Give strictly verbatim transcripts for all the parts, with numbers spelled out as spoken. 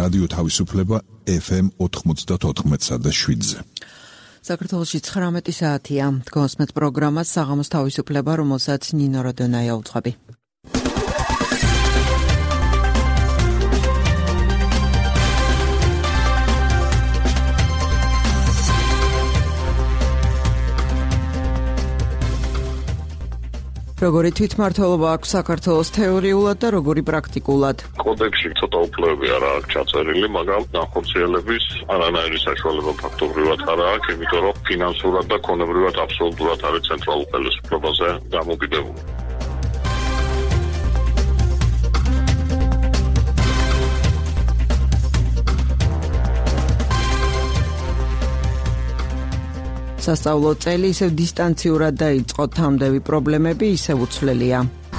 რადიო თავისუფლება ეფ ემ ოთხმოცდაოთხ და შვიდზე. საქართველოში ცხრამეტი საათია. გოსმეთ პროგრამას საღამოს თავისუფლება, რომელსაც ნინო როდონაია უძღვები. როგორი თვითმმართველობა აქვს საქართველოს თეორიულად და როგორი პრაქტიკულად? კოდექსში ცოტა უფლებები არა აქვს ჩაწერილი, მაგრამ განხორციელების არანაირი საშუალება ფაქტობრივად არ აქვს, იმიტომ რომ ფინანსურად და ქონებრივად აბსოლუტურად არის ცენტრალურ ხელისუფლებაზე დამოკიდებული. სასწავლო წელი ისევ დისტანციურად დაიწყო, თამდევი პრობლემები ისევ უცვლელია.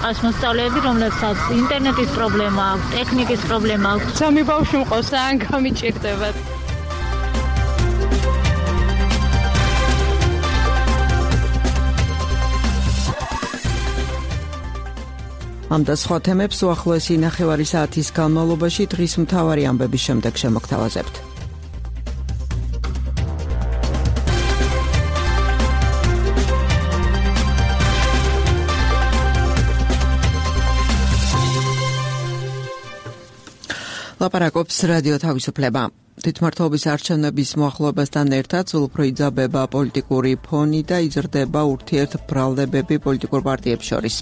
ასმოსწავლეები, რომლებსაც ინტერნეტის პრობლემა აქვს, ტექნიკის პრობლემა აქვს. სამი ბავშვი მყავს, ან გამიჭირდებათ. ამ და სხვა თემებს უახლოესი ნახევარი საათის განმავლობაში დღის მთავარი ამბების შემდეგ შემოგთავაზებთ. ლაპარაკობს რადიო თავისუფლება. თვითმმართველობის არჩევნების მოახლოებასთან ერთად სულ უფრო იძაბება პოლიტიკური ფონი და იზრდება ურთიერთბრალდებები პოლიტიკურ პარტიებს შორის.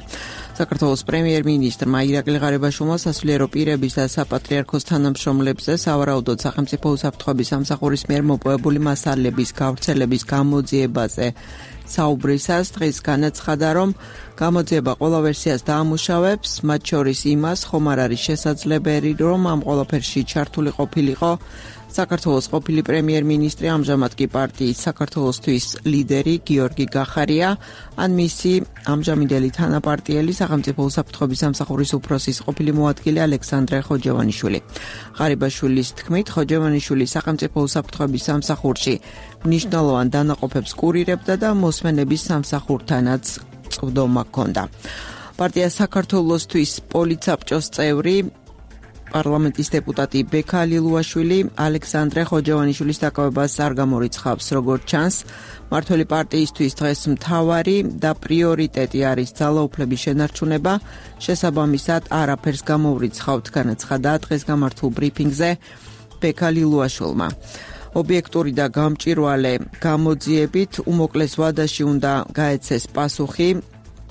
საქართველოს პრემიერ-მინისტრმა ირაკლი ღარიბაშვილმა სასულიერო პირების და საპატრიარქოს თანამშრომლებზე სავარაუდოდ სახელმწიფო უსაფრთხოების სამსახურის მიერ მოპოვებული მასალების გავრცელების გამოძიებაზე საუბრისას დღეს განაცხადა, რომ გამოძიება ყველა ვერსიას დაამუშავებს, მათ შორის იმას, ხომ არ არის შესაძლებელი, რომ ამ ყველაფერში ჩართული ყოფილიყო საქართველოს ყოფილი პრემიერ-მინისტრი, ამჟამად კი პარტიის საქართველოსთვის ლიდერი გიორგი გახარია, ან მისი ამჟამინდელი თანაპარტიელი სახელმწიფო უსაფრთხოების სამსახურის უფროსის ყოფილი მოადგილე ალექსანდრე ხოჯევანიშვილი. ღარიბაშვილის თქმით, ხოჯევანიშვილი სახელმწიფო უსაფრთხოების სამსახურში მნიშვნელოვან დანაყოფებს კურირებდა და მოსმენების სამსახურთანაც წვდომა ჰქონდა. პარტია საქართველოსთვის პოლიცაბჭოს წევრი პარლამენტის დეპუტატი ბექა ლილუაშვილი ალექსანდრე ხოჯევანიშვილის დაკავებას არ გამორიცხავს. როგორც ჩანს, მმართველი პარტიისთვის დღეს მთავარი და პრიორიტეტი არის ძალაუფლების შენარჩუნება, შესაბამისად არაფერს გამოვრიცხავთ, განაცხადა დღეს გამართულ ბრიფინგზე ბექა ლილუაშვილმა. ობიექტური და გამჭვირვალე გამოძიებით უმოკლეს ვადაში უნდა გაეცეს პასუხი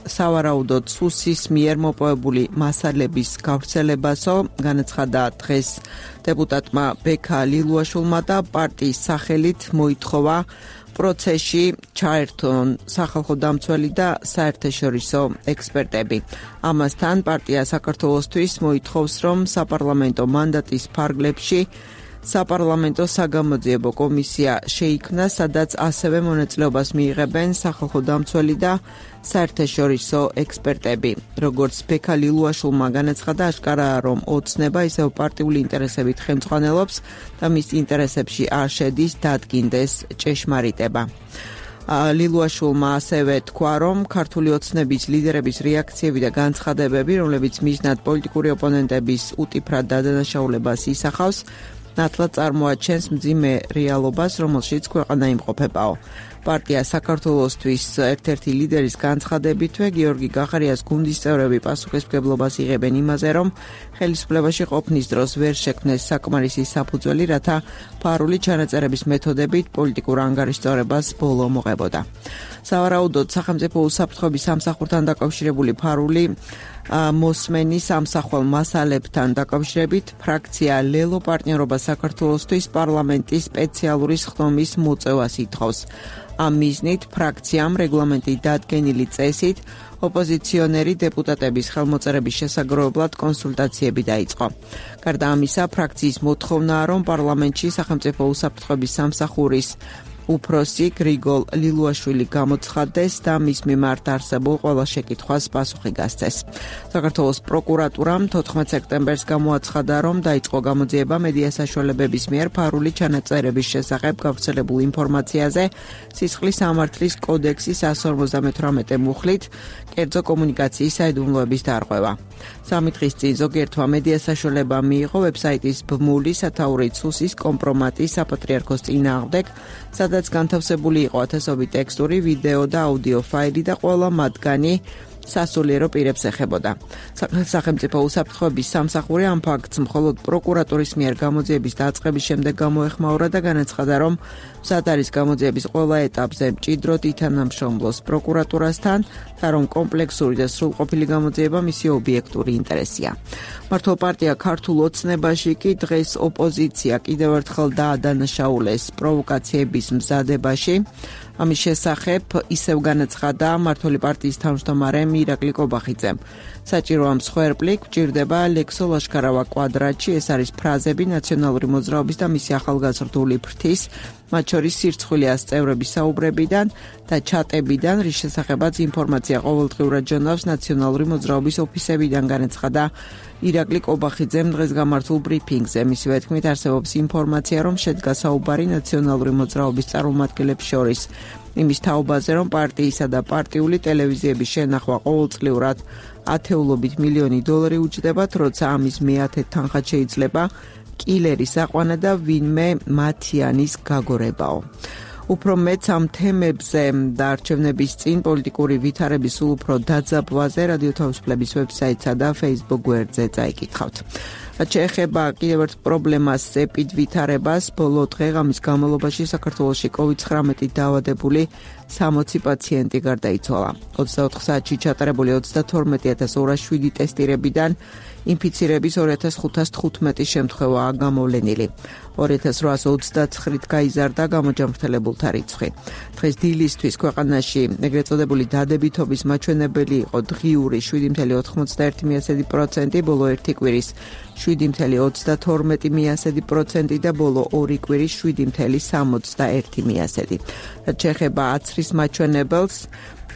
სავარაუდოდ სუსის მიერ მოპოვებული მასალების გავრცელებასო, განაცხადა დღეს დეპუტატმა ბექა ლილუაშვილმა და პარტიის სახელით მოითხოვა პროცესში ჩაერთონ სახალხო დამცველი და საერთაშორისო ექსპერტები. ამასთან პარტია საქართველოსთვის მოითხოვს, რომ საპარლამენტო მანდატის ფარგლებში საპარლამენტო საგამოძიებო კომისია შეიქმნა, სადაც ასევე მონაწილეობას მიიღებენ სახალხო დამცველი და საერთაშორისო ექსპერტები. როგორც ბექა ლილუაშვილმა განაცხადა, აშკარაა, რომ ოცნება ისევ პარტიული ინტერესებით ხელმძღვანელობს და მის ინტერესებში არ შედის დადგინდეს ჭეშმარიტება. ლილუაშვილმა ასევე თქვა, რომ ქართული ოცნების ლიდერების რეაქციები და განცხადებები, რომლებიც მიზნად პოლიტიკური ოპონენტების უტიფრად დადანაშაულებას ისახავს, ნათლად წარმოაჩენს მძიმე რეალობას, რომელშიც ქვეყანა იმყოფებაო. პარტია საქართველოსთვის ერთ-ერთი ლიდერის განცხადებითვე გიორგი გახარიას გუნდის წევრები პასუხისმგებლობას იღებენ იმაზე, რომ ხელისუფლებაში ყოფნის დროს ვერ შექმნეს საკმარისი საფუძველი, რათა ფარული ჩანაწერების მეთოდებით პოლიტიკურ ანგარიშწორებას ბოლო მოღებოდა. სავარაუდოდ სახელმწიფო უსაფრთხოების სამსახურთან დაკავშირებული ფარული მოსმენის სამსახვალ მასალებთან დაკავშირებით ფრაქცია ლელო პარტნიორობა საქართველოსთვის პარლამენტის სპეციალური სხდომის მოწევას ითხოვს. ამ მიზნით ფრაქციამ რეგლამენტით დადგენილი წესით ოპოზიციონერი დეპუტატების ხელმოწერების შესაგროვებლად კონსულტაციები დაიწყო. გარდა ამისა, ფრაქციის მოთხოვნაა, რომ პარლამენტში სახელმწიფო უსაფრთხოების სამსახურის უფროსი გრიგოლ ლილუაშვილი გამოცხადდეს და მის მიმართ არსებულ ყველა შეკითხვას პასუხი გასცეს. საქართველოს პროკურატურამ თოთხმეტ სექტემბერს გამოაცხადა, რომ დაიწყო გამოძიება მედია საშუალებების მიერ ფარული ჩანაწერების შესახებ გავრცელებულ ინფორმაციაზე სისხლის სამართლის კოდექსის εκατს ორმოცდამეთვრამეტე მუხლით კერძო კომუნიკაციის საიდუმლოების დარღვევა. სამი დღის წინ ზოგიერთმა მედია საშუალებამ მიიღო ვებსაიტის ბმული სათაური ცუსის კომპრომატი საპატრიარქოს წინააღმდეგ, სადაც განთავსებული იყო ათასობით ტექსტური, ვიდეო და აუდიო ფაილი და ყველა მათგანი სასულიერო პირებს ეხებოდა. სახელმწიფო უსაფრთხოების სამსახური ამ ფაქტს მხოლოდ პროკურატურის მიერ გამოძიების დაწყების შემდეგ გამოეხმაურა და განაცხადა, რომ მზად არის გამოძიების ყველა ეტაპზე მჭიდროდ ითანამშრომლოს პროკურატურასთან და რომ კომპლექსური და სრულყოფილი გამოძიება მისი ობიექტური ინტერესია. მართლ პარტია ქართულ ოცნებაში კი დღეს ოპოზიცია კიდევ ერთხელ დაადანაშაულეს პროვოკაციების მზადებაში. ამის შესახებ ისევ განაცხადა მართლი პარტიის თავმჯდომარე ირაკლი კობახიძემ. საჭირო ამ სხვერპლი გვჭირდება ლექსო ლაშქარავა კვადრატში, ეს არის ფრაზები ნაციონალური მოძრაობის და მისი ახალგაზრდული ფრთის, მათ შორის სირცხვილიას წევრების საუბრებიდან და ჩატებიდან, რის შესახებაც ინფორმაცია ყოველდღიურად ჟურნალს ნაციონალური მოძრაობის ოფისებიდან განაცხადა ირაკლი კობახიძემ დღეს გამართულ ბრიფინგზე. მისივე თქმით, არსებობს ინფორმაცია, რომ შედგა საუბარი ნაციონალური მოძრაობის წარმომადგენლებს შორის იმის თაობაზე, რომ პარტიისა და პარტიული ტელევიზიების შენახვა ყოველწლიურად ათეულობით მილიონი დოლარი უჯდებათ, როცა ამის მეათედ თანხად შეიძლება კილერის აყვანა და ვინმე მათიანის გაგორებაო. უფრო მეც ამ თემებზე და არჩევნების წინ პოლიტიკური ვითარების სულ უფრო დაძაბვაზე რადიო თავისუფლების ვებსაიტსა და Facebook გვერდზე წაიკითხავთ. რაც შეეხება კიდევ ერთ პრობლემას, ეპიდ ვითარებას, ბოლო დღე-ღამის განმავლობაში საქართველოში კოვიდ ცხრამეტით დაავადებული სამოცი პაციენტი გარდაიცვალა. ოცდაოთხ საათში ჩატარებული ოცდათორმეტი ათას ორას შვიდი ტესტირებიდან ინფიცირების ორი ათას ხუთას თხუთმეტი შემთხვევაა გამოვლენილი. ორი ათას რვაას ოცდაცხრით გაიზარდა გამოჯანმრთელებულთა რიცხვი. დღეს დილისთვის ქვეყანაში ეგრეთ წოდებული დადებითობის მაჩვენებელი იყო დღიური შვიდი წამლ ოთხმოცდაერთი პროცენტი, ბოლო ერთი კვირის შვიდი წამლ ოცდათორმეტი პროცენტი და ბოლო ორი კვირის შვიდი წამლ სამოცდაერთი პროცენტი. რაც შეეხება აცრის მაჩვენებელს,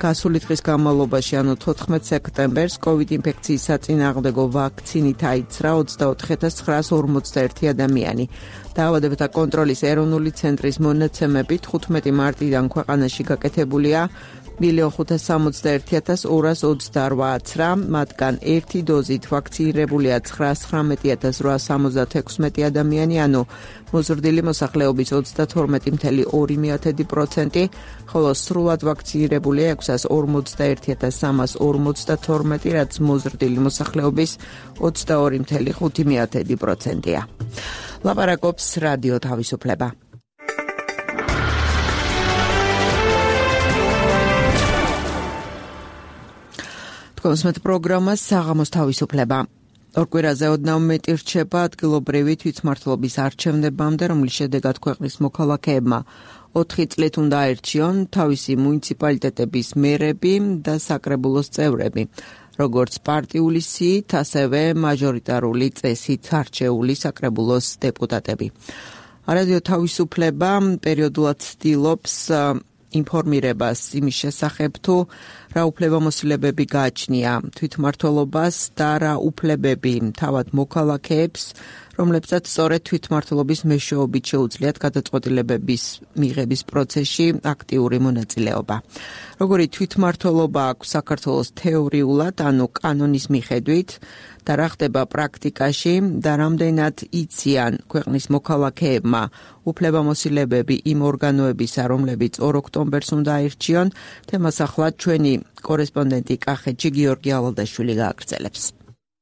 გასული დღის განმავლობაში, ანუ თოთხმეტ სექტემბერს, კოვიდ ინფექციის საწინააღმდეგო ვაქცინით აიცრა ოცდაოთხი ათას ცხრაას ორმოცდაერთი ადამიანი. დაავადებათა კონტროლის ეროვნული ცენტრის მონაცემებით თხუთმეტი მარტიდან ქვეყანაში გაკეთებულია მილიონ ხუთას სამოცდაერთი ათას ორას ოცდარვა აცრა, მათგან ერთი დოზით ვაქცინირებულია ცხრაას ცხრამეტი ათას რვაას სამოცდათექვსმეტი ადამიანი, ანუ მოზრდილი მოსახლეობის ოცდათორმეტი წამლ ორი პროცენტი, ხოლო სრულად ვაქცინირებულია ექვსას ორმოცდაერთი ათას სამას ორმოცდათორმეტი, რაც მოზრდილი მოსახლეობის ოცდაორი წამლ ხუთი პროცენტია. ლაპარაკობს რადიო თავისუფლება. კონსმეთ პროგრამას საღამოს თავისუფლება. ორ კვირაზე ოდნავ მეტი რჩება ადგილობრივი თვითმმართველობის არჩევნებამდე, რომლის შედეგად ქვეყნის მოქალაქეებმა ოთხი წლით უნდა აერჩიონ თავისი მუნიციპალიტეტების მერები და საკრებულოს წევრები, როგორც პარტიული სიით, ასევე მაჟორიტარული წესით არჩეული საკრებულოს დეპუტატები. რადიო თავისუფლება პერიოდულად ცდილობს ინფორმირებას იმის შესახებ, თუ რა უფლებამოსილებები გააჩნია თვითმმართველობას და რა უფლებები თავად მოქალაქეებს, რომლებსაც სწორედ თვითმმართველობის მეშვეობით შეუძლიათ გადაწყვეტილებების მიღების პროცესში აქტიური მონაწილეობა. როგორი თვითმმართველობა აქვს საქართველოს თეორიულად, ანუ კანონის მიხედვით, და რა ხდება პრაქტიკაში და რამდენად იციან ქვეყნის მოქალაქეებმა უფლებამოსილებები იმ ორგანოებისა, რომლებიც ორ ოქტომბერს უნდა აირჩიონ, თემას ახლა ჩვენი კორესპონდენტი კახეთში გიორგი ალალდაშვილი გააგრძელებს.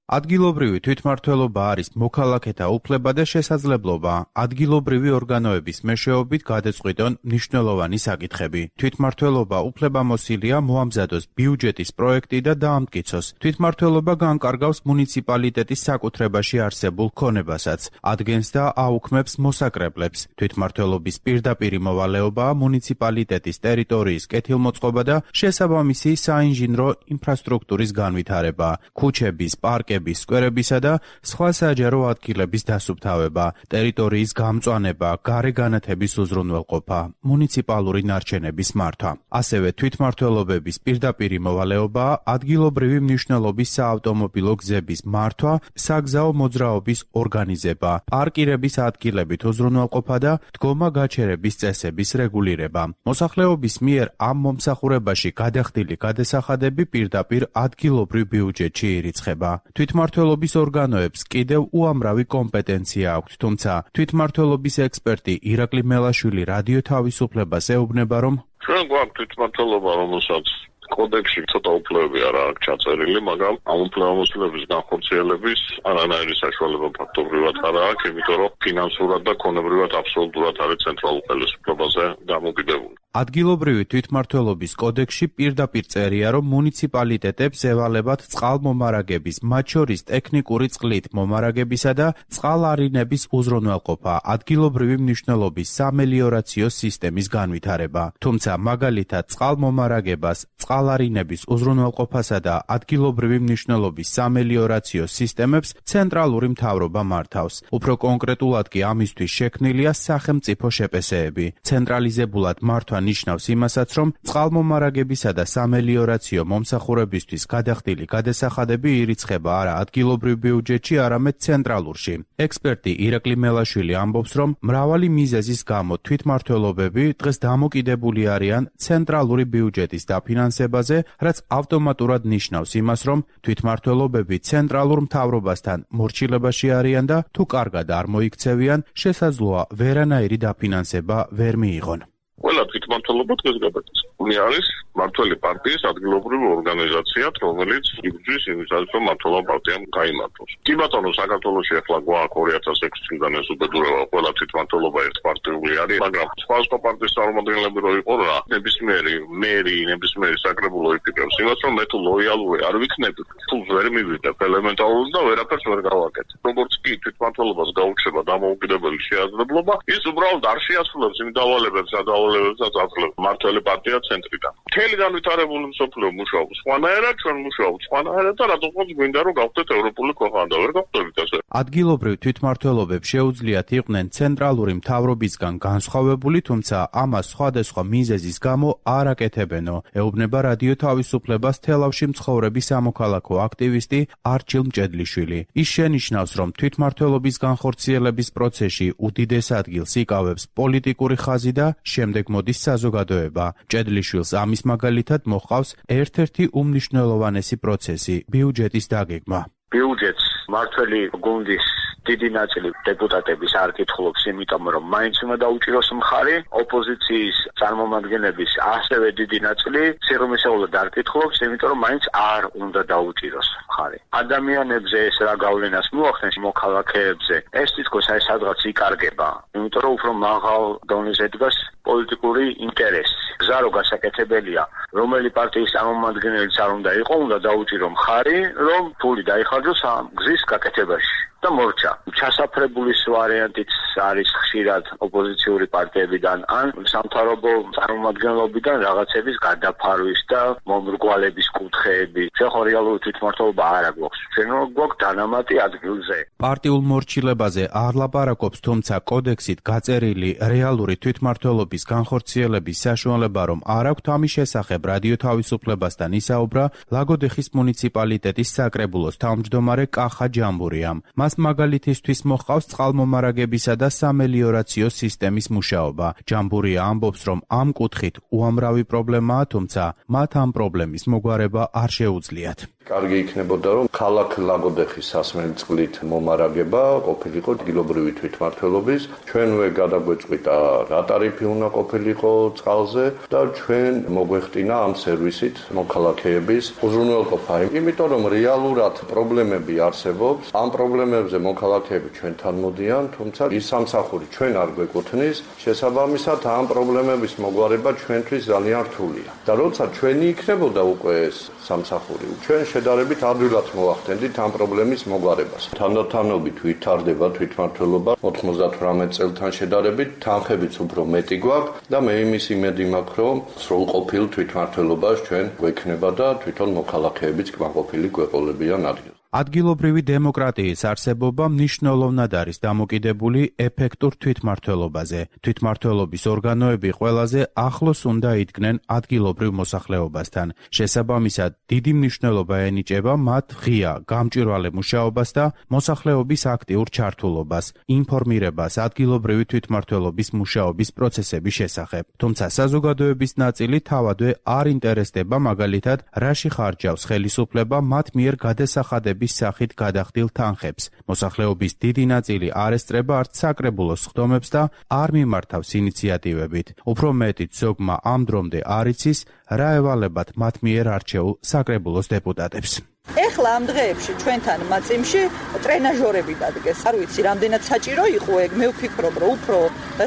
ადგილობრივი თვითმმართველობა არის მოქალაქეთა უფლება და შესაძლებლობა ადგილობრივი ორგანოების მეშვეობით გადაწყვიტონ მნიშვნელოვანი საკითხები. თვითმმართველობა უფლებამოსილია მოამზადოს ბიუჯეტის პროექტი და დაამტკიცოს. თვითმმართველობა განკარგავს მუნიციპალიტეტის საკუთრებაში არსებულ ქონებასაც, ადგენს და აუქმებს მოსაკრებლებს. თვითმმართველობის პირდაპირი მოვალეობაა მუნიციპალიტეტის ტერიტორიის კეთილმოწყობა და შესაბამისი საინჟინრო ინფრასტრუქტურის განვითარება, ქუჩების, პარკების პარკების, სკვერებისა და სხვა საჯარო ადგილების დასუფთავება, ტერიტორიის გამწვანება, გარეგანათების უზრუნველყოფა, მუნიციპალური ნარჩენების მართვა. ასევე თვითმმართველობების პირდაპირი მოვალეობაა ადგილობრივი მნიშვნელობის საავტომობილო გზების მართვა, საგზაო მოძრაობის ორგანიზება, პარკირების ადგილებით უზრუნველყოფა და დგომა-გაჩერების წესების რეგულირება. მოსახლეობის მიერ ამ მომსახურებაში გადახდილი გადასახადები პირდაპირ ადგილობრივ ბიუჯეტში ირიცხება. თვითმმართველობის ორგანოებს კიდევ უამრავი კომპეტენცია აქვთ, თუმცა თვითმმართველობის ექსპერტი ირაკლი მელაშვილი რადიო თავისუფლებას ეუბნება, რომ ჩვენ გვაქვს თვითმმართველობა, რომელსაც კოდექსში ცოტა უფლებები არა აქვს ჩაწერილი, მაგრამ ამ უფლებამოსილების განხორციელების არანაირი საშუალება ფაქტობრივად არ აქვს, იმიტომ რომ ფინანსურად და ქონებრივად აბსოლუტურად არის ცენტრალურ ხელისუფლებაზე დამოკიდებული. ადგილობრივი თვითმმართველობის კოდექსში პირდაპირ წერია, რომ მუნიციპალიტეტებს ევალებათ წყალმომარაგების, მათ შორის ტექნიკური წყლით მომარაგებისა და წყალარინების უზრუნველყოფა, ადგილობრივი მნიშვნელობის სამელიორაციო სისტემის განვითარება. თუმცა მაგალითად წყალმომარაგებას, წყალარინების უზრუნველყოფასა და ადგილობრივი მნიშვნელობის სამელიორაციო სისტემებს ცენტრალური მთავრობა მართავს. უფრო კონკრეტულად კი ამისთვის შექმნილია სახელმწიფო შეპესეები. ცენტრალიზებულად მართვა ნიშნავს იმასაც, რომ წყალმომარაგებისა და სამელიორაციო მომსახურებისთვის გადახდილი გადასახადები ირიცხება არა ადგილობრივ ბიუჯეტში, არამედ ცენტრალურში. ექსპერტი ირაკლი მელაშვილი ამბობს, რომ მრავალი მიზეზის გამო თვითმმართველობები დღეს დამოკიდებული არიან ცენტრალური ბიუჯეტის დაფინანსებაზე, რაც ავტომატურად ნიშნავს იმას, რომ თვითმმართველობები ცენტრალურ მთავრობასთან მორჩილებაში არიან და თუ კარგად არ მოიქცევიან, შესაძლოა ვერანაირი დაფინანსება ვერ მიიღონ. ყველა თვითმმართველობა დღეს გადაგწყვეტილი არის მმართველი პარტიის ადგილობრივი ორგანიზაციად, რომელიც იბრძვის იმისათვის, რომ მმართველობა პარტიამ გაიმართოს. კი ბატონო, საქართველოში ახლა გვაქვს ორი ათას ექვსი წლიდან ეს უბედურება, ყველა თვითმმართველობა ერთპარტიული არის, მაგრამ სხვა სხვა პარტიის წარმომადგენლები რო იყო რა, ნებისმიერი მერი, ნებისმიერი საკრებულო იფიქრებს იმას, რომ მე თუ ლოიალური არ ვიქნები, ფულს ვერ მივიდებ ელემენტარულად და ვერაფერს ვერ გავაკეთებ. როგორც კი თვითმმართველობას გაუჩნდება დამოუკიდებელი შეაძლებლობა, ის უბრალოდ არ შეასრულებს იმ დავალებებს, სადავალებებსაც აწლებს მმართველი პარტია ცენტრიდან. მთელი განვითარებული მსოფლიო მუშაობს სხვანაირად, ჩვენ მუშაობთ სხვანაირად და რატომღაც გვინდა რომ გავხდეთ ევროპული ქვეყანა და ვერ გავხდებით ასე. ადგილობრივ თვითმმართველობებს შეუძლიათ იყვნენ ცენტრალური მთავრობისგან განსხვავებული, თუმცა ამას სხვადასხვა მიზეზის გამო არ აკეთებენო, ეუბნება რადიო თავისუფლებას თელავში მცხოვრები სამოქალაქო აქტივისტი არჩილ მჭედლიშვილი. ის შენიშნავს, რომ თვითმმართველობის განხორციელების პროცესში უდიდეს ადგილს იკავებს პოლიტიკური ხაზი და შემდეგ მოდის საზოგადოება. მჭედლიშვილს ამის მაგალითად მოჰყავს ერთ-ერთი უმნიშვნელოვანესი პროცესი ბიუჯეტის დაგეგმა. ბიუჯეტს მართველი გუნდის დიდი ნაწილი დეპუტატების არ კითხულობს, იმიტომ რომ მაინც უნდა დაუჭიროს მხარი, ოპოზიციის წარმომადგენლების ასევე დიდი ნაწილი სიღრმისეულად არ კითხულობს, იმიტომ რომ მაინც არ უნდა დაუჭიროს მხარი. ადამიანებზე ეს რა გავლენას მოახდენს მოქალაქეებზე, ეს თითქოს აი სადღაც იკარგება, იმიტომ რომ უფრო მაღალ დონეზე დგას პოლიტიკური ინტერესი. გზა რო გასაკეთებელია, რომელი პარტიის წარმომადგენელიც არ უნდა იყო, უნდა დაუჭირო მხარი, რომ ფული დაიხარჯოს ამ გზის გაკეთებაში. და მორჩა. ჩასაფრებულის ვარიანტიც არის ხშირად ოპოზიციური პარტიებიდან ან სამთავრობო წარმომადგენლობიდან რაღაცების გადაფარვის და მომრგვალების კუთხეები. ჩვენ ხო რეალური თვითმმართველობა არ აქვს. ჩვენ გვაქვს დანამატი ადგილზე. პარტიულ მორჩილებაზე არ ლაპარაკობს, თუმცა კოდექსით გაწერილი რეალური თვითმმართველობის განხორციელების საშუალება რომ არ აქვთ, ამის შესახებ რადიო თავისუფლებასთან ისაუბრა ლაგოდეხის მუნიციპალიტეტის საკრებულოს თავმჯდომარე კახა ჯამბურიამ. მას მაგალითისთვის მოჰყავს წყალმომარაგებისა და სამელიორაციო სისტემის მუშაობა. ჯამბურია ამბობს, რომ ამ კუთხით უამრავი პრობლემაა, თუმცა მათ ამ პრობლემის მოგვარება არ შეუძლიათ. კარგი იქნებოდა, რომ ქალაქ ლაგოდეხის სასმელი წყლით მომარაგება ყოფილიყო ადგილობრივი თვითმმართველობის. ჩვენვე გადაგვეწყვიტა რა ტარიფი უნდა ყოფილიყო წყალზე და ჩვენ მოგვეხტინა ამ სერვისით მოქალაქეების უზრუნველყოფა. იმიტომ რომ რეალურად პრობლემები არსებობს, ამ პრობლემებზე მოქალაქეები ჩვენთან მოდიან, თუმცა ის სამსახური ჩვენ არ გვეკუთვნის, შესაბამისად ამ პრობლემების მოგვარება ჩვენთვის ძალიან რთულია. და როცა ჩვენი იქნებოდა უკვე ეს სამსახური, ჩვენ შედარებით ადვილად მოახდენდით ამ პრობლემის მოგვარებას. თანდათანობით ვითარდება თვითმმართველობა ოთხმოცდათვრამეტ წელთან შედარებით, თანხებიც უფრო მეტი გვაქვს და მე იმის იმედი მაქვს, რომ სრულყოფილ თვითმმართველობას ჩვენ გვექნება და თვითონ მოქალაქეებიც კმაყოფილი გვეყოლებიან ადგილს. ადგილობრივი დემოკრატიის არსებობა მნიშვნელოვნად არის დამოკიდებული ეფექტურ თვითმმართველობაზე. თვითმმართველობის ორგანოები ყველაზე ახლოს უნდა იდგნენ ადგილობრივ მოსახლეობასთან. შესაბამისად, დიდი მნიშვნელობა ენიჭება მათ ღია, გამჭვირვალე მუშაობას და მოსახლეობის აქტიურ ჩართულობას, ინფორმირებას ადგილობრივი თვითმმართველობის მუშაობის პროცესების შესახებ. თუმცა საზოგადოების ნაწილი თავადვე არ ინტერესდება მაგალითად, რაში ხარჯავს ხელისუფლება მათ მიერ გადასახადების სახით გადახდილ თანხებს. მოსახლეობის დიდი ნაწილი არ ესწრება არც საკრებულოს სხდომებს და არ მიმართავს ინიციატივებით. უფრო მეტიც ზოგმა ამ დრომდე არ იცის, რა ევალებათ მათ მიერ არჩეულ საკრებულოს დეპუტატებს. ეხლა ამ დღეებში ჩვენთან მაწიმში ტრენაჟორები დადგეს. არ ვიცი, რამდენად საჭირო იყო ეგ, მე ვფიქრობ, რომ უფრო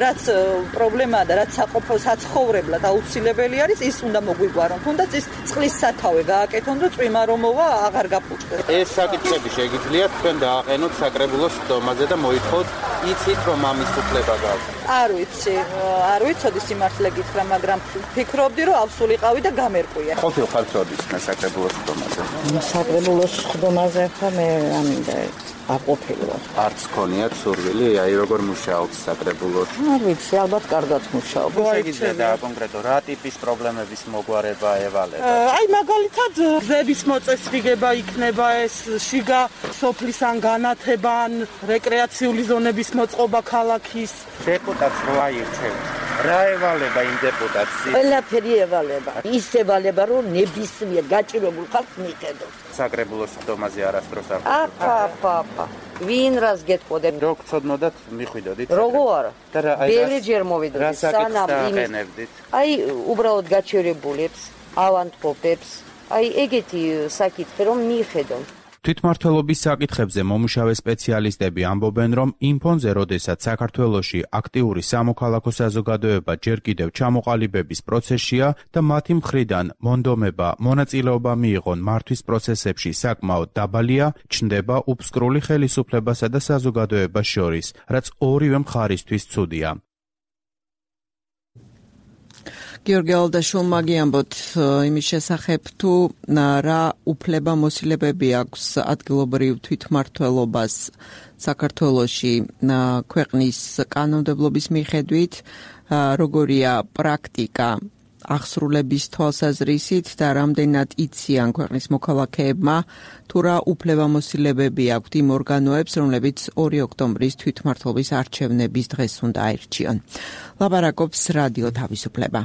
რაც პრობლემაა და რაც საცხოვრებლად აუცილებელი არის, ის უნდა მოგვიგვარონ. თუნდაც ის წყლის სათავე გააკეთონ და წვიმა რომ მოვა აღარ გაფუჭდეს. ეს საკითხები შეგიძლიათ თქვენ დააყენოთ საკრებულოს სხდომაზე და მოითხოვოთ, იცით რომ ამის უფლება გაქვთ. არ ვიცი, არ ვიცოდი სიმართლე გითხრა, მაგრამ ვფიქრობდი, რომ ავსულიყავი და გამერკვია. ყოფილ ხართ როდის საკრებულოს სხდომაზე? საკრებულოს სხდომაზე ხა მე ამინდა აყოფილო. არც ქონიათ სურვილი, აი როგორ მუშაობთ საკრებულოში? არ ვიცი, ალბათ კარგად მუშაობ. შეგიძლიათ დააკონკრეტო, რა ტიპის პრობლემების მოგვარება ევალება? აი მაგალითად, გზების მოწესრიგება იქნება ეს, შიგა სოფლის ან განათება, ან რეკრეაციული ზონების მოწყობა ქალაქის. დეპუტატს რო აირჩევთ, რა ევალება იმ დეპუტატს? ყველაფერი ევალება. ის ევალება, რომ ნებისმიერ გაჭირებულ ხალხს მიხედოს. საკრებულოს სხდომაზე არასდროს არ აფა, აფა, აფა. ვინ რას გეტყოდებ? რო გწოდნოდათ, მიხვიდოდით. როგორ არა? ბევრი ჯერ მოვიდოდით, სანამ იმის. აი, უბრალოდ გაჩერებულებს, ავანტყოფებს, აი ეგეთი საკითხი რომ მიხედონ. თვითმმართველობის საკითხებზე მომუშავე სპეციალისტები ამბობენ, რომ იმ ფონზე, როდესაც საქართველოში აქტიური სამოქალაქო საზოგადოება ჯერ კიდევ ჩამოყალიბების პროცესშია და მათი მხრიდან მონდომება, მონაწილეობა მიიღონ მართვის პროცესებში საკმაოდ დაბალია, ჩნდება უფსკრული ხელისუფლებასა და საზოგადოებას შორის, რაც ორივე მხარისთვის ცუდია. გიორგი ალდაშვილმა გიამბოთ იმის შესახებ, თუ რა უფლება მოსილებები აქვს ადგილობრივ თვითმმართველობას საქართველოში ქვეყნის კანონმდებლობის მიხედვით, როგორია პრაქტიკა აღსრულების თვალსაზრისით და რამდენად იციან ქვეყნის მოქალაქეებმა, თუ რა უფლება მოსილებები აქვთ იმ ორგანოებს, რომლებიც ორი ოქტომბრის თვითმმართველობის არჩევნების დღეს უნდა აირჩიონ. ლაპარაკობს რადიო თავისუფლება.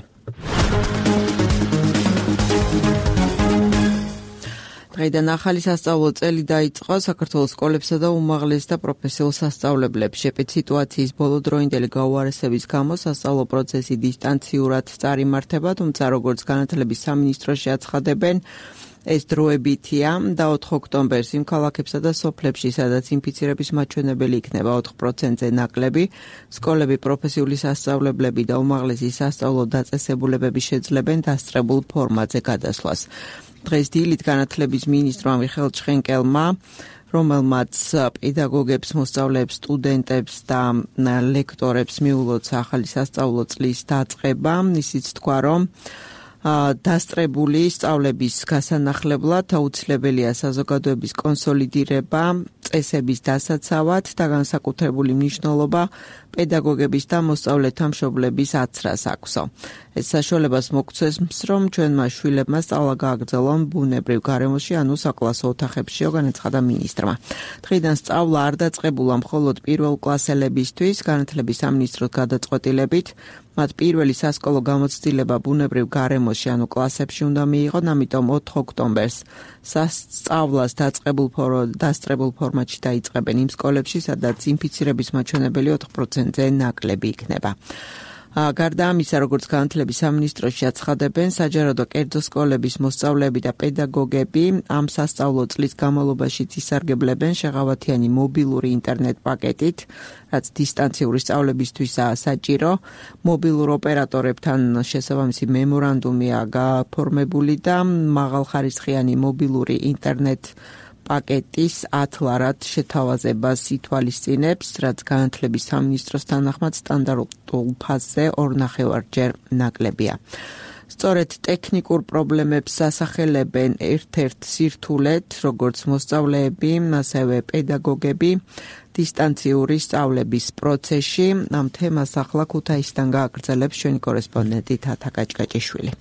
დღეიდან ახალი სასწავლო წელი დაიწყო საქართველოს სკოლებსა და უმაღლეს და პროფესიულ სასწავლებლებში. სიტუაციის ბოლოდროინდელი გაუარესების გამო სასწავლო პროცესი დისტანციურად წარიმართება, თუმცა როგორც განათლების სამინისტროში აცხადებენ, ეს დროებითია და ოთხ ოქტომბერს იმ ქალაქებსა და სოფლებში, სადაც ინფიცირების მაჩვენებელი იქნება ოთხ პროცენტზე ნაკლები, სკოლები, პროფესიული სასწავლებლები და უმაღლესი სასწავლო დაწესებულებები შეძლებენ დასწრებულ ფორმატზე გადასვლას. დღეს დილით განათლების მინისტრმა მიხეილ ჩხენკელმა, რომელმაც პედაგოგებს, მოსწავლეებს, სტუდენტებს და ლექტორებს მიულოცა ახალი სასწავლო წლის დაწყება, ისიც თქვა, რომ დასწრებული სწავლების გასანახლებლად აუცილებელია საზოგადოების კონსოლიდირება, წესების დასაცავად და განსაკუთრებული მნიშვნელობა პედაგოგების და მოსწავლეთა მშობლების აცრას აქვსო. ეს საშუალებას მოგცეს, რომ ჩვენმა შვილებმა სწავლა გააგრძელონ ბუნებრივ გარემოში, ანუ საკლასო ოთახებშიო, განაცხადა მინისტრმა. დღიდან სწავლა არ დაწყებულა მხოლოდ პირველ კლასელებისთვის, განათლების სამინისტროს გადაწყვეტილებით, მათ პირველი სასკოლო გამოცდილება ბუნებრივ გარემოში, ანუ კლასებში უნდა მიიღონ, ამიტომ ოთხ ოქტომბერს სასწავლას დაწყებულ დასწრებულ ფორმატში დაიწყებენ იმ სკოლებში, სადაც ინფიცირების მაჩვენებელი ოთხ პროცენტზე ნაკლები იქნება. გარდა ამისა, როგორც განათლების სამინისტროში აცხადებენ, საჯარო და კერძო სკოლების მოსწავლეები და პედაგოგები ამ სასწავლო წლის განმავლობაში ისარგებლებენ შეღავათიანი მობილური ინტერნეტ პაკეტით, რაც დისტანციური სწავლებისთვისაა საჭირო. მობილურ ოპერატორებთან შესაბამისი მემორანდუმია გაფორმებული და მაღალხარისხიანი მობილური ინტერნეტ პაკეტის ათლარად შეთავაზებას ითვალისწინებს, რაც განათლების სამინისტროს თანახმად სტანდარტულ ფაზზე ორ ნახევარჯერ ნაკლებია. სწორედ ტექნიკურ პრობლემებს ასახელებენ ერთ-ერთ სირთულეთ, როგორც მოსწავლეები, ასევე პედაგოგები დისტანციური სწავლების პროცესში. ამ თემას ახლა ქუთაისიდან გააგრძელებს ჩვენი კორესპონდენტი თათა კაჭკაჭიშვილი.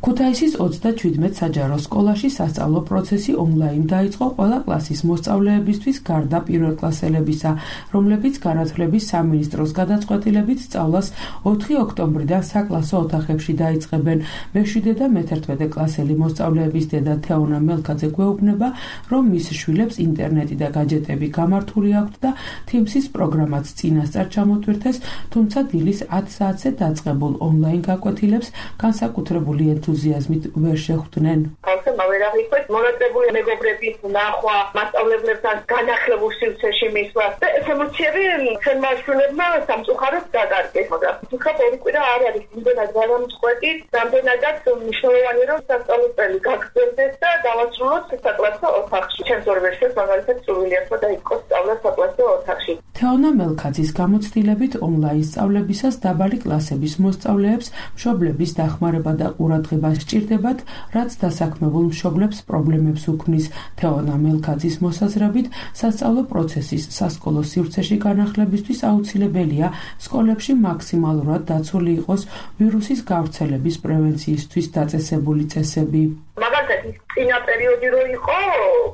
ქუთაისის ოცდაჩვიდმეტ საჯარო სკოლაში სასწავლო პროცესი ონლაინ დაიწყო ყველა კლასის მოსწავლეებისთვის გარდა პირველკლასელებისა, რომლებიც განათლების სამინისტროს გადაწყვეტილებით სწავლას ოთხი ოქტომბრიდან საკლასო ოთახებში დაიწყებენ. მეშვიდე და მეთერთმეტე კლასელი მოსწავლეების დედა თეონა მელქაძე გვეუბნება, რომ მის შვილებს ინტერნეტი და გაჯეტები გამართული აქვთ და თიმსის პროგრამაც წინასწარ ჩამოტვირთეს, თუმცა დილის ათ საათზე დაწყებულ ონლაინ გაკვეთილებს განსაკუთრებული ენთუზიაზმით ვერ შეხვდნენ. ხალხმა ვერ აღიქვეს მონაწილეობრივი მეგობრების ნახვა, მასწავლებლებთან განახლებულ სივრცეში მისვლა და ეს ემოციები ჩვენმა შვილებმა სამწუხაროდ დაკარგეს, მაგრამ თუნდაც ორი კვირა არ არის იმდენად გამომწყვეტი, რამდენადაც მნიშვნელოვანი რომ სასწავლებელი გაგრძელდეს და დავასრულოთ საკლასო ოთახში. ჩემს ორ ვერსიას მაგალითად სრულიად დაიწყოს სწავლა საკლასო ოთახში. თეონა მელქაძის გამოცდილებით ონლაინ სწავლებისას დაბალი კლასების მოსწავლეებს მშობლების დახმარება და ყურადღება სჭირდებათ, რაც დასაქმებულ მშობლებს პრობლემებს უქმნის. თეონა მელქაძის მოსაზრებით, სასწავლო პროცესის სასკოლო სივრცეში განახლებისთვის აუცილებელია სკოლებში მაქსიმალურად დაცული იყოს ვირუსის გავრცელების პრევენციისთვის დაწესებული წესები. მაგალითად, ის წინა პერიოდი რო იყო,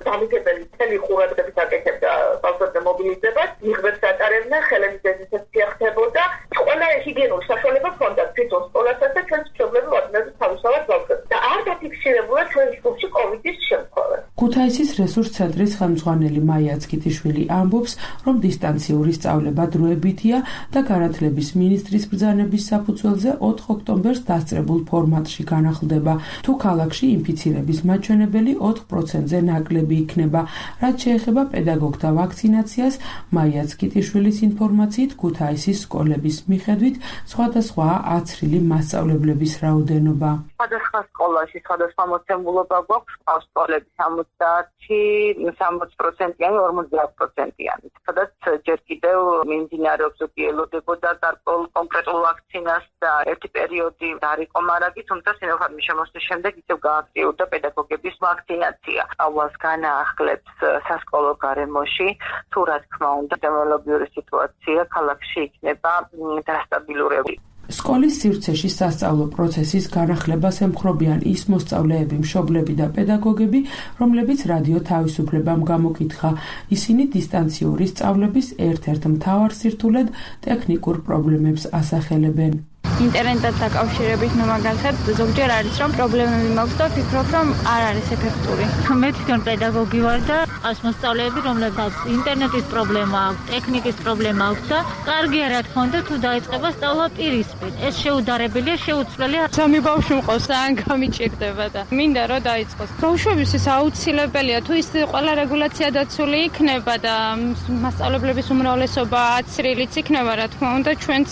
დამიგებელი მთელი ყურადღებით აკეთებდა ბავშვებზე მობილიზებას, მიღბებს ატარებდნენ, ხელების დეზინფექცია ხდებოდა, ყველა ჰიგიენური საშუალება ჰქონდა თვითონ სკოლასაც და ჩვენს მშობლები ვადნებთ თავისთავად ბავშვებს და არ დაფიქსირებულა ჩვენს ჯგუფში კოვიდის შემთხვევა. ქუთაისის რესურს ცენტრის ხელმძღვანელი მაია ცკიტიშვილი ამბობს, რომ დისტანციური სწავლება დროებითია და განათლების მინისტრის ბრძანების საფუძველზე ოთხ ოქტომბერს დასწრებულ ფორმატში განახლდება. თუ ქალაქში ინფიცირების მაჩვენებელი ოთხ პროცენტზე ნაკლები იქნება. რაც შეეხება პედაგოგთა ვაქცინაციას, მაია ცკიტიშვილის ინფორმაციით ქუთაისის სკოლების მიხედვით სხვადასხვაა აცრილი მასწავლებლების რაოდენობა. სხვადასხვა სკოლაში სხვადასხვა მოცემულობა გვაქვს, სკოლები სამოცდაათი, სამოცი პროცენტიანი, ორმოცდაათ პროცენტიანი. სადაც ჯერ კიდევ მიმდინარეობს ზოგი ელოდებოდა გარკვეულ კონკრეტულ ვაქცინას და ერთი პერიოდი არ იყო მარაგი, თუმცა სინოფარმის შემოსვლის შემდეგ ისევ გააქტიურდა პედაგოგების ვაქცინაცია. აუას განაახლებს სასკოლო გარემოში, თუ რა თქმა უნდა, ეპიდემიოლოგიური სიტუაცია ქალაქში იქნება დასტაბილურებული. სკოლის სივრცეში სასწავლო პროცესის განახლებას ემხრობიან ის მოსწავლეები, მშობლები და პედაგოგები, რომლებიც რადიო თავისუფლებამ გამოკითხა. ისინი დისტანციური სწავლების ერთ-ერთ მთავარ სირთულედ ტექნიკურ პრობლემებს ასახელებენ. ინტერნეტთან დაკავშირებით მაგალითად ზოგჯერ არის რომ პრობლემები მაქვს და ვფიქრობ რომ არ არის ეფექტური. მე თვითონ პედაგოგი ვარ და ყავს მოსწავლეები რომლებსაც ინტერნეტის პრობლემა აქვს, ტექნიკის პრობლემა აქვს და კარგი რა თქმა უნდა თუ დაიწყება სწავლა პირისპირ. ეს შეუდარებელია, შეუცვლელია. სამი ბავშვი მყავს, ან გამიჭირდება და მინდა რომ დაიწყოს. ბავშვებისთვის აუცილებელია თუ ის ყველა რეგულაცია დაცული იქნება და მასწავლებლების უმრავლესობა აცრილიც იქნება რა თქმა უნდა ჩვენც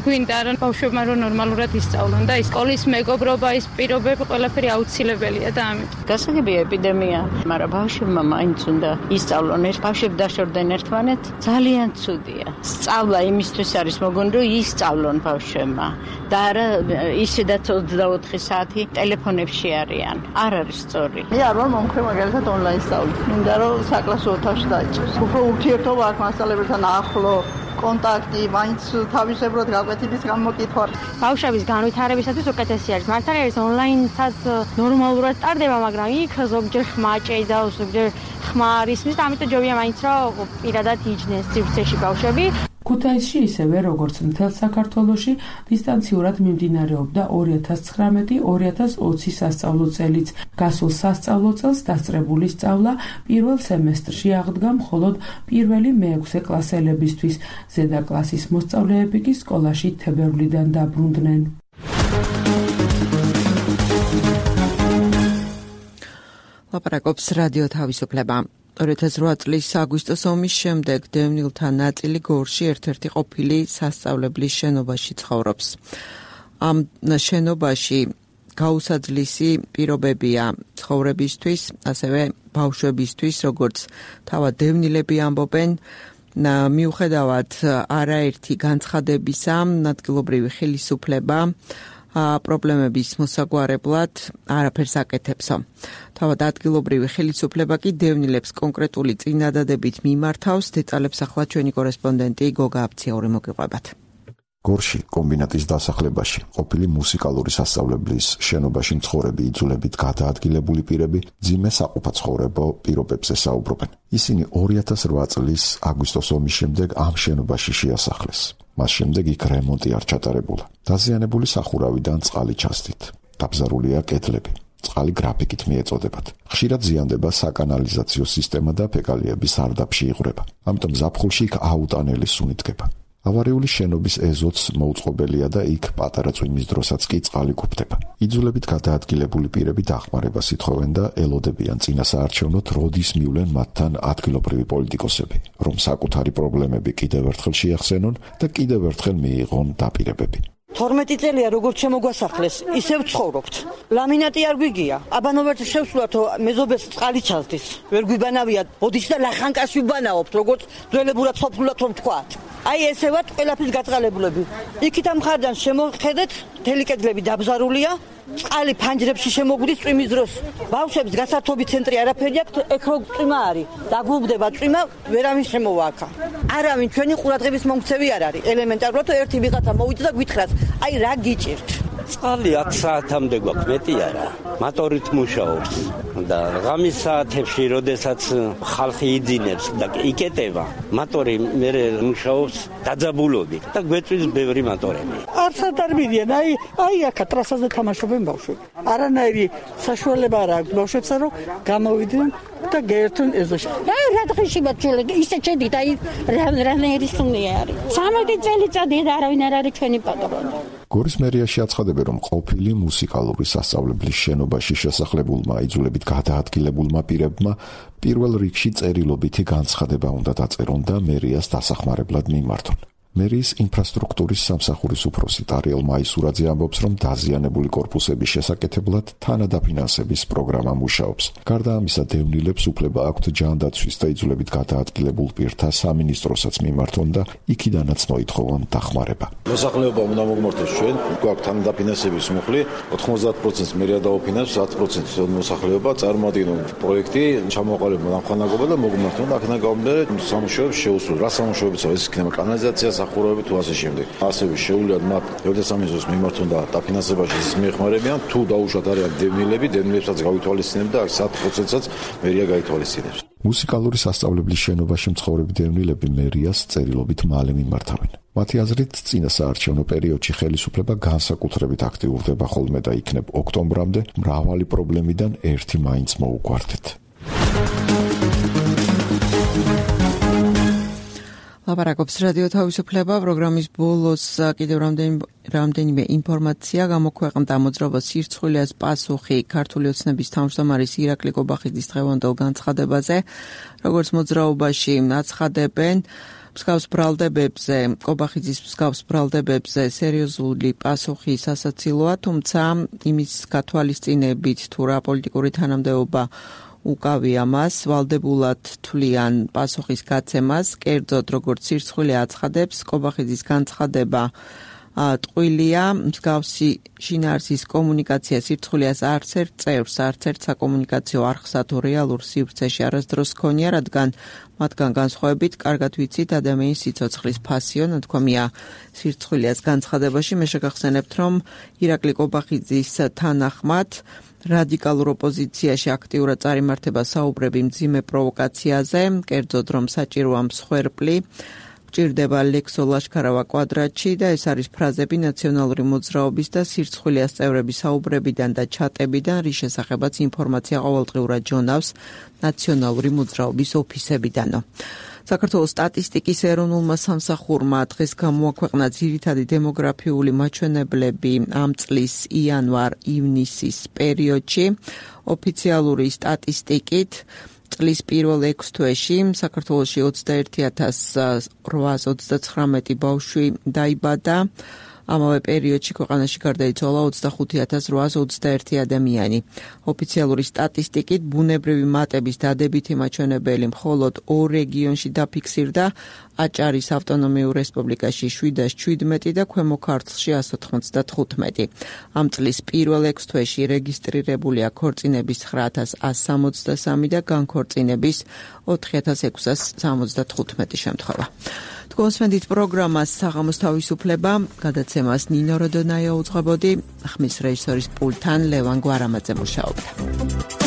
გვინდა რომ ბავშვებმა რომ ნორმალურად ისწავლონ და ის სკოლის მეგობრობა, ის პირობები ყველაფერი აუცილებელია და ამიტომ. გასაგებია ეპიდემია, მაგრამ ბავშვებმა მაინც უნდა ისწავლონ. ეს ბავშვები დაშორდნენ ერთმანეთს, ძალიან ცუდია. სწავლა იმისთვის არის მოგონი, რომ ისწავლონ ბავშვებმა და არა ისედაც ოცდაოთხი საათი ტელეფონებში არიან. არ არის სწორი. მე არ ვარ მომხრე მაგალითად ონლაინ სწავლა. მინდა რომ საკლასო ოთახში დაიწყოს. უფრო ურთიერთობა აქვს მასწავლებელთან ახლო. კონტაქტი, მაინც თავისებურად გაკვეთილის გამოკითხვა. ბავშვების განვითარებისათვის უკეთესი არის. მართალია ეს ონლაინსაც ნორმალურად ტარდება, მაგრამ იქ ზოგჯერ ხმა ჭეიდავს, ზოგჯერ ხმა არ ისმის და ამიტომ ჯობია მაინც რომ პირადად იჯდნენ სივრცეში ბავშვები. ქუთაისში ისევე როგორც მთელ საქართველოში დისტანციურად მიმდინარეობდა ორი ათას ცხრამეტი ორი ათას ოცი სასწავლო წელიც. გასულ სასწავლო წელს დასწრებული სწავლა პირველ სემესტრში აღდგა მხოლოდ პირველი მეექვსე კლასელებისთვის. ზედა კლასის მოსწავლეები კი სკოლაში თებერვლიდან დაბრუნდნენ. ლაპარაკობს რადიო თავისუფლება. ორი ათას ოთხ წლის აგვისტოს ომის შემდეგ დევნილთა ნაწილი გორში ერთ-ერთი ყოფილი სასწავლებლის შენობაში ცხოვრობს. ამ შენობაში გაუსაძლისი პირობებია ცხოვრებისთვის, ასევე ბავშვებისთვის, როგორც თავად დევნილები ამბობენ, მიუხედავად არაერთი განცხადებისა, ადგილობრივი ხელისუფლება პრობლემების მოსაგვარებლად არაფერს აკეთებსო. თავად ადგილობრივი ხელისუფლება კი დევნილებს კონკრეტული წინადადებით მიმართავს. დეტალებს ახლა ჩვენი კორესპონდენტი გოგა აფციური მოგიყვებათ. გორში კომბინატის დასახლებაში ყოფილი მუსიკალური სასწავლებლის შენობაში მცხოვრები იძულებით გადაადგილებული პირები ძიმე საყოფაცხოვრებო პირობებზე საუბრობენ. ისინი ორი ათას რვა წლის აგვისტოს ომის შემდეგ ამ შენობაში შეასახლეს. მას შემდეგ იქ რემონტი არ ჩატარებულა. დაზიანებული სახურავიდან წყალი ჩასდით. დაბზარულია კედლები. წყალი გრაფიკით მიეწოდებათ. ხშირად ზიანდება საკანალიზაციო სისტემა და ფეკალიები სარდაფში იღვრება. ამიტომ ზაფხულში იქ აუტანელი სუნი დგება. ავარიული შენობის ეზოც მოუწყობელია და იქ პატარა წვიმის დროსაც კი წყალი გუფდება. იძულებით გადაადგილებული პირები დახმარებას ითხოვენ და ელოდებიან წინასაარჩევნოდ როდის მივლენ მათთან ადგილობრივი პოლიტიკოსები, რომ საკუთარი პრობლემები კიდევ ერთხელ შეახსენონ და კიდევ ერთხელ მიიღონ დაპირებები. თორმეტი წელია როგორც შემოგვასახლეს, ისევ ცხოვრობთ. ლამინატი არ გვიგია. აბანოვერთ შევსვლათო მეზობეს წყალი ჩასდის. ვერ გვიბანავიათ, ბოდის და ლახანკაში ვბანაობთ, როგორც ძველებურად სოფლულად რომ თქვათ. აი ესე ვართ ყველაფრის გაწყალებულები. იქით ამ ხარდან შემოხედეთ, მთელი კედლები დაბზარულია, წყალი ფანჯრებში შემოგვდის წვიმის დროს. ბავშვებს გასართობი ცენტრი არაფერი აქვთ, ეკ რო წვიმა არის. დაგუბდება წვიმა, ვერავინ შემოვააქა. არავინ ჩვენი ყურადღების მომქცევი არ არის. ელემენტარულად ერთი ვიღაცა მოვიდა და გვითხრას, აი რა გიჭირთ. წყალი აქ საათამდე გვაქვს, მეტი არა. მატორით მუშაობს და ღამის საათებში, როდესაც ხალხი იძინებს და იკეტება, მატორი მე მუშაობს დაძაბულობით და გვეწვის ბევრი მატორები. არც არ მიდიან, აი აი აქ ტრასაზე თამაშობენ ბავშვები. არანაირი საშუალება არ აქვს ბავშვებსა, რომ გამოვიდნენ და გაერთონ ეზოში. აი რა დღეში ბაჭული, ისე ჩედით, აი რანაირი სუნია არის. სამეტი წელიწადია და არავინ არ არის ჩვენი პატრონი. გორის მერიაში აცხადებენ, რომ ყოფილი მუსიკალური სასწავლებლის შენობაში შესახლებულმა იძულებით გადაადგილებულმა პირებმა პირველ რიგში წერილობითი განცხადება უნდა დაწერონ და მერიას დასახმარებლად მიმართონ. მერიის ინფრასტრუქტურის სამსახურის უფროსი ტარიელ მაისურაძე ამბობს, რომ დაზიანებული კორპუსების შესაკეთებლად თანადაფინანსების პროგრამა მუშაობს. გარდა ამისა, დევნილებს უფლება აქვთ ჯანდაცვის და იძულებით გადაადგილებულ პირთა სამინისტროსაც მიმართონ და იქიდანაც მოითხოვონ დახმარება. მოსახლეობა უნდა მოგმართოს ჩვენ, გვაქვს თანადაფინანსების მუხლი, ოთხმოცდაათ პროცენტს მერია დაუფინანსებს, ათ პროცენტს მოსახლეობა წარმოადგენენ პროექტი, ჩამოყალიბებენ ამხანაგობა და მოგმართონ და აქედან გამომდინარე სამუშაოებს შეუსრულებთ. რა სამუშაოებიცაა ეს იქნება კანალიზაცია ახურები თუ ასე შემდეგ. ასევე შეუულიათ მათ ევროსამიზოს მიმართონ და დაფინანსებაში ის მიეხმარებიან, თუ დაუშვათ არიან დევნილები, დევნილებსაც გავითვალისწინებთ და ათ პროცენტსაც მერია გაითვალისწინებს. მუსიკალური სასწავლებლის შენობაში მცხოვრები დევნილები მერიას წერილობით მალე მიმართავენ. მათი აზრით, წინასაარჩევნო პერიოდში ხელისუფლება განსაკუთრებით აქტიურდება ხოლმე და იქნებ ოქტომბრამდე მრავალი პრობლემიდან ერთი მაინც მოუგვართეთ. ლაპარაკობს რადიო თავისუფლება. პროგრამის ბოლოს კიდევ რამდენიმე ინფორმაცია გამოქვეყნდა. მოძრაობას სირცხვილიას პასუხი ქართული ოცნების თავმჯდომარის ირაკლი კობახიძის დღევანდელ განცხადებაზე. როგორც მოძრაობაში აცხადებენ, მსგავს ბრალდებებზე, კობახიძის მსგავს ბრალდებებზე სერიოზული პასუხი სასაცილოა, თუმცა იმის გათვალისწინებით თუ რა პოლიტიკური თანამდებობა უკავია მას, ვალდებულად თვლიან პასუხის გაცემას. კერძოდ, როგორც სირცხვილი აცხადებს, კობახიძის განცხადება ტყუილია, მსგავსი შინაარსის კომუნიკაცია სირცხვილიას არც ერთ წევრს, არც ერთ საკომუნიკაციო არხსა თუ რეალურ სივრცეში არასდროს ჰქონია, რადგან მათგან განსხვავებით კარგად ვიცით ადამიანის სიცოცხლის ფასიო, ნათქვამია სირცხვილიას განცხადებაში. მე შეგახსენებთ, რომ ირაკლი კობახიძის თანახმად რადიკალურ ოპოზიციაში აქტიურად წარიმართება საუბრები მძიმე პროვოკაციაზე, კერძოდ რომ საჭიროა მსხვერპლი, გჭირდება ლექსო ლაშქარავა კვადრატში და ეს არის ფრაზები ნაციონალური მოძრაობის და სირცხვილიას წევრების საუბრებიდან და ჩატებიდან, რის შესახებაც ინფორმაცია ყოველდღიურად ჯონავს ნაციონალური მოძრაობის ოფისებიდანო. საქართველოს სტატისტიკის ეროვნულმა სამსახურმა დღეს გამოაქვეყნა ძირითადი დემოგრაფიული მაჩვენებლები ამ წლის იანვარ-ივნისის პერიოდში. ოფიციალური სტატისტიკით წლის პირველ ექვს თვეში საქართველოში ოცდაერთი ათას რვაას ოცდაცხრამეტი ბავშვი დაიბადა. ამავე პერიოდში ქვეყანაში გარდაიცვალა ოცდახუთი ათას რვაას ოცდაერთი ადამიანი. ოფიციალური სტატისტიკით ბუნებრივი მატების დადებითი მაჩვენებელი მხოლოდ ორ რეგიონში დაფიქსირდა, აჭარის ავტონომიურ რესპუბლიკაში შვიდას შვიდმეტი და ქვემო ქართლში ასი ოცდათხუთმეტი. ამ წლის პირველ ექვს თვეში რეგისტრირებულია ქორწინების ცხრა ათას ასი სამოცდასამი და განქორწინების ოთხი ათას ექვსას სამოცდათხუთმეტი შემთხვევა. თქვენსმენდით პროგრამას საღამოს თავისუფლება, გადაცემას ნინო როდონაია უძღვებოდი, ხმის რეჟისორის პულტთან ლევან გვარამაძე მუშაობდა.